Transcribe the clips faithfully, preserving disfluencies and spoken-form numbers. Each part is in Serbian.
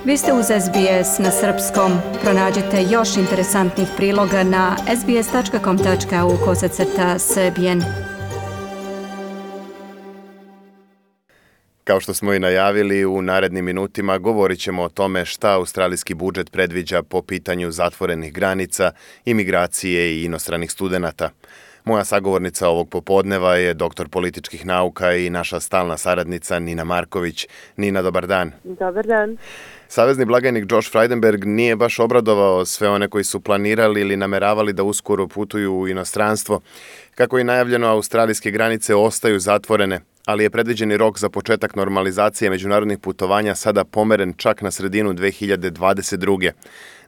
Vi ste uz S B S na srpskom. Pronađite još interesantnih priloga na sbs tačka com tačka au kosacrta srbijen. Kao što smo i najavili, u narednim minutima govorit ćemo o tome šta australijski budžet predviđa po pitanju zatvorenih granica, imigracije i inostranih studenata. Moja sagovornica ovog popodneva je doktor političkih nauka i naša stalna saradnica Nina Marković. Nina, dobar dan. Dobar dan. Savezni blagajnik Josh Frydenberg nije baš obradovao sve one koji su planirali ili nameravali da uskoro putuju u inostranstvo. Kako je najavljeno, australijske granice ostaju zatvorene, ali je predviđeni rok za početak normalizacije međunarodnih putovanja sada pomeren čak na sredinu dve hiljade dvadeset druge.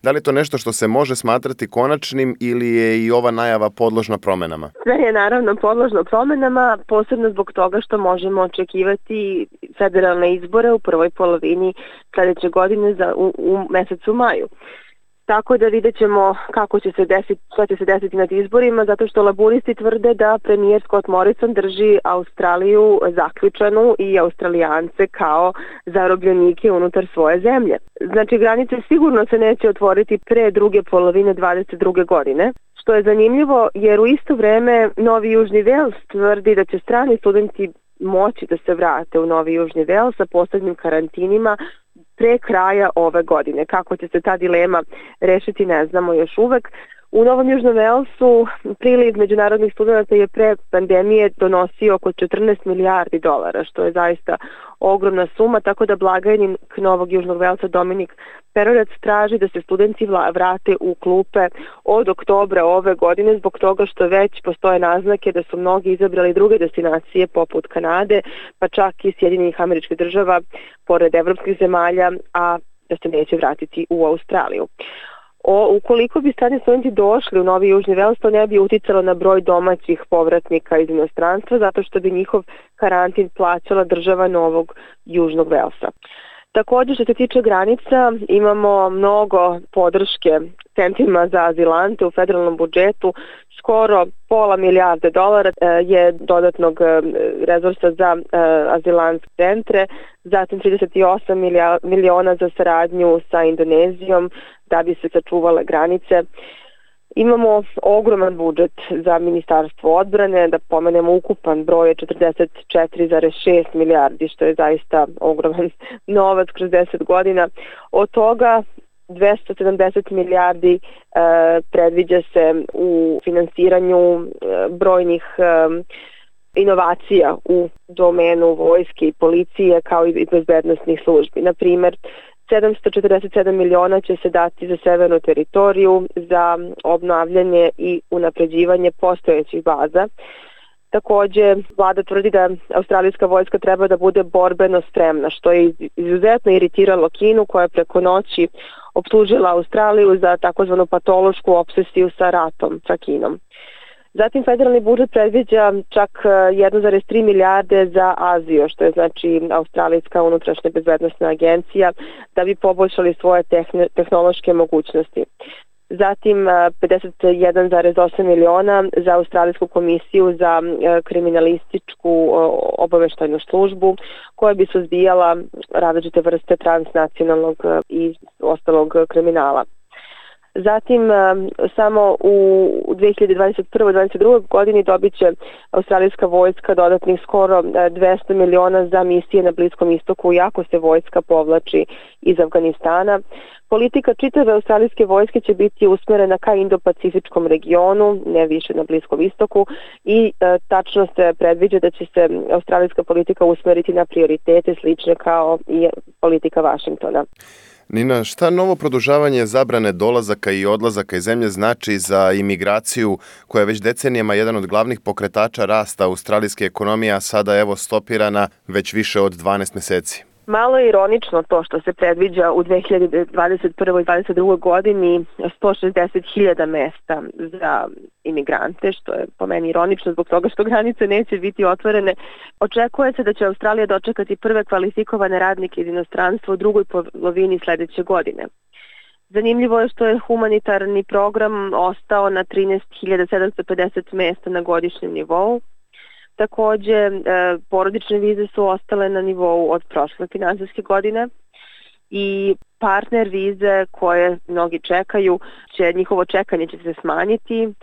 Da li je to nešto što se može smatrati konačnim ili je i ova najava podložna promenama? Sve je naravno podložno promenama, posebno zbog toga što možemo očekivati federalne izbore u prvoj polovini sledeće godine za, u, u mesecu maju. Tako da vidjet ćemo kako će se desiti, šta će se desiti nad izborima, zato što laburisti tvrde da premijer Scott Morrison drži Australiju zaključanu i Australijance kao zarobljenike unutar svoje zemlje. Znači, granice sigurno se neće otvoriti pre druge polovine dvadeset druge godine, što je zanimljivo jer u isto vreme Novi Južni Vels tvrdi da će strani studenti moći da se vrate u Novi Južni Vels sa posebnim karantinima pre kraja ove godine. Kako će se ta dilema rešiti ne znamo još uvek. U Novom Južnom Velsu priliv međunarodnih studenta je pre pandemije donosio oko četrnaest milijardi dolara, što je zaista ogromna suma, tako da blagajnik Novog Južnog Velsa Dominik Perorac traži da se studenti vrate u klupe od oktobra ove godine zbog toga što već postoje naznake da su mnogi izabrali druge destinacije poput Kanade, pa čak i Sjedinjenih Američkih Država pored evropskih zemalja, a da se neće vratiti u Australiju. O, ukoliko bi strani studenti došli u Novi Južni Vels, to ne bi uticalo na broj domaćih povratnika iz inostranstva, zato što bi njihov karantin plaćala država Novog Južnog Velsa. Također, što se tiče granica, imamo mnogo podrške centrima za azilante u federalnom budžetu. Skoro pola milijarde dolara je dodatnog resursa za azilantske centre, zatim trideset osam miliona za saradnju sa Indonezijom da bi se sačuvale granice. Imamo ogroman budžet za Ministarstvo odbrane, da pomenemo ukupan broj je četrdeset četiri zarez šest milijardi, što je zaista ogroman novac kroz deset godina. Od toga dvesta sedamdeset milijardi e, predviđa se u finansiranju e, brojnih e, inovacija u domenu vojske i policije kao i bezbednosnih službi. Na primer, sedamsto četrdeset sedam miliona će se dati za severnu teritoriju za obnavljanje i unapređivanje postojećih baza. Takođe, vlada tvrdi da australijska vojska treba da bude borbeno spremna, što je izuzetno iritiralo Kinu, koja je preko noći optužila Australiju za takozvanu patološku obsesiju sa ratom sa Kinom. Zatim, federalni budžet predviđa čak jedan zarez tri milijarde za Aziju, što je znači Australijska unutrašnja bezbednosna agencija, da bi poboljšali svoje tehn- tehnološke mogućnosti. Zatim, pedeset jedan zarez osam miliona za Australijsku komisiju za kriminalističku obaveštajnu službu, koja bi suzbijala različite vrste transnacionalnog i ostalog kriminala. Zatim, samo u dve hiljade dvadeset prve i dvadeset druge godini dobit će australijska vojska dodatnih skoro dvesta miliona za misije na Bliskom istoku, iako se vojska povlači iz Afganistana. Politika čitave australijske vojske će biti usmerena ka Indo-Pacifičkom regionu, ne više na Bliskom istoku, i e, tačno se predviđa da će se australijska politika usmeriti na prioritete slične kao i politika Vašingtona. Nina, šta novo produžavanje zabrane dolazaka i odlazaka iz zemlje znači za imigraciju, koja je već decenijama jedan od glavnih pokretača rasta australijske ekonomije, a sada evo stopirana već više od dvanaest meseci? Malo je ironično to što se predviđa u dve hiljade dvadeset prve i dvadeset druge godini sto šezdeset hiljada mesta za imigrante, što je po meni ironično zbog toga što granice neće biti otvorene. Očekuje se da će Australija dočekati prve kvalifikovane radnike iz inostranstva u drugoj polovini sledeće godine. Zanimljivo je što je humanitarni program ostao na trinaest hiljada sedamsto pedeset mesta na godišnjem nivou. Takođe, porodične vize su ostale na nivou od prošle finansijske godine i partner vize koje mnogi čekaju, će, njihovo čekanje će se smanjiti.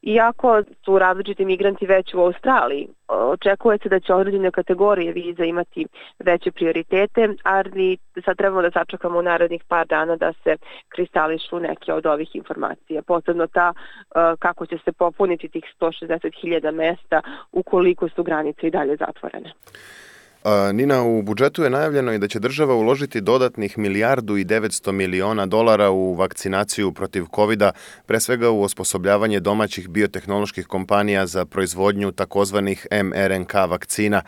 Iako su različiti migranti već u Australiji, očekuje se da će određene kategorije viza imati veće prioritete, ali sad trebamo da sačekamo u narednih par dana da se kristališu neke od ovih informacija. Posebno ta kako će se popuniti tih sto šezdeset hiljada mesta ukoliko su granice i dalje zatvorene. Nina, u budžetu je najavljeno i da će država uložiti dodatnih milijardu i devetsto miliona dolara u vakcinaciju protiv kovida, pre svega u osposobljavanje domaćih biotehnoloških kompanija za proizvodnju takozvanih em er en ka vakcina.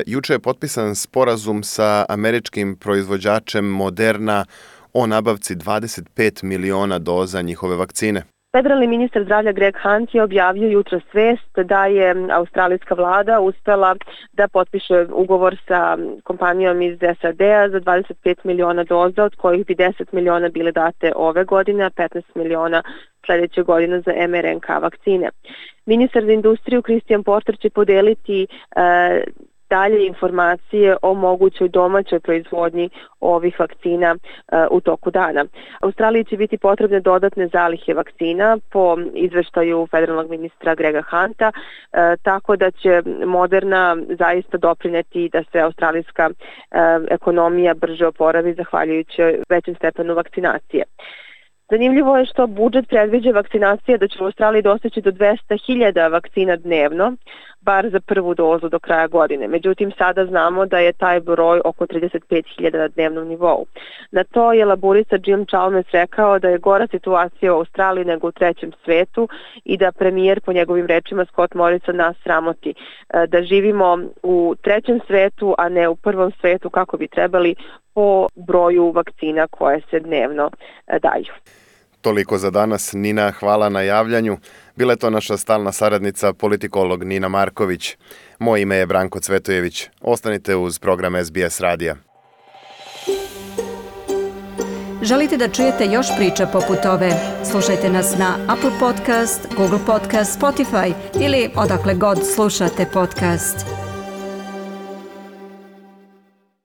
Juče je potpisan sporazum sa američkim proizvođačem Moderna o nabavci dvadeset pet miliona doza njihove vakcine. Federalni ministar zdravlja Greg Hunt je objavio jutros vest da je australijska vlada uspela da potpiše ugovor sa kompanijom iz es a de a za dvadeset pet miliona doza, od kojih bi deset miliona bile date ove godine, a petnaest miliona sledeće godine za em er en ka vakcine. Ministar za industriju Christian Porter će podeliti e, dalje informacije o mogućoj domaćoj proizvodnji ovih vakcina uh, u toku dana. Australiji će biti potrebne dodatne zalihe vakcina po izveštaju federalnog ministra Grega Hunta, uh, tako da će Moderna zaista doprineti da se australijska uh, ekonomija brže oporavi zahvaljujući većem stepenu vakcinacije. Zanimljivo je što budžet predviđa vakcinacije da će u Australiji dostići do dvesta hiljada vakcina dnevno, bar za prvu dozu do kraja godine. Međutim, sada znamo da je taj broj oko trideset pet hiljada na dnevnom nivou. Na to je laborista Jim Chalmers rekao da je gora situacija u Australiji nego u trećem svetu i da premijer, po njegovim rečima Scott Morrison, nas sramoti. Da živimo u trećem svetu, a ne u prvom svetu kako bi trebali po broju vakcina koje se dnevno daju. Toliko za danas. Nina, hvala na javljanju. Bila je to naša stalna saradnica, politikolog Nina Marković. Moje ime je Branko Cvetojević. Ostanite uz program es be es radija. Želite da čujete još priča poput ove? Slušajte nas na Apple Podcast, Google Podcast, Spotify ili odakle god slušate podcast.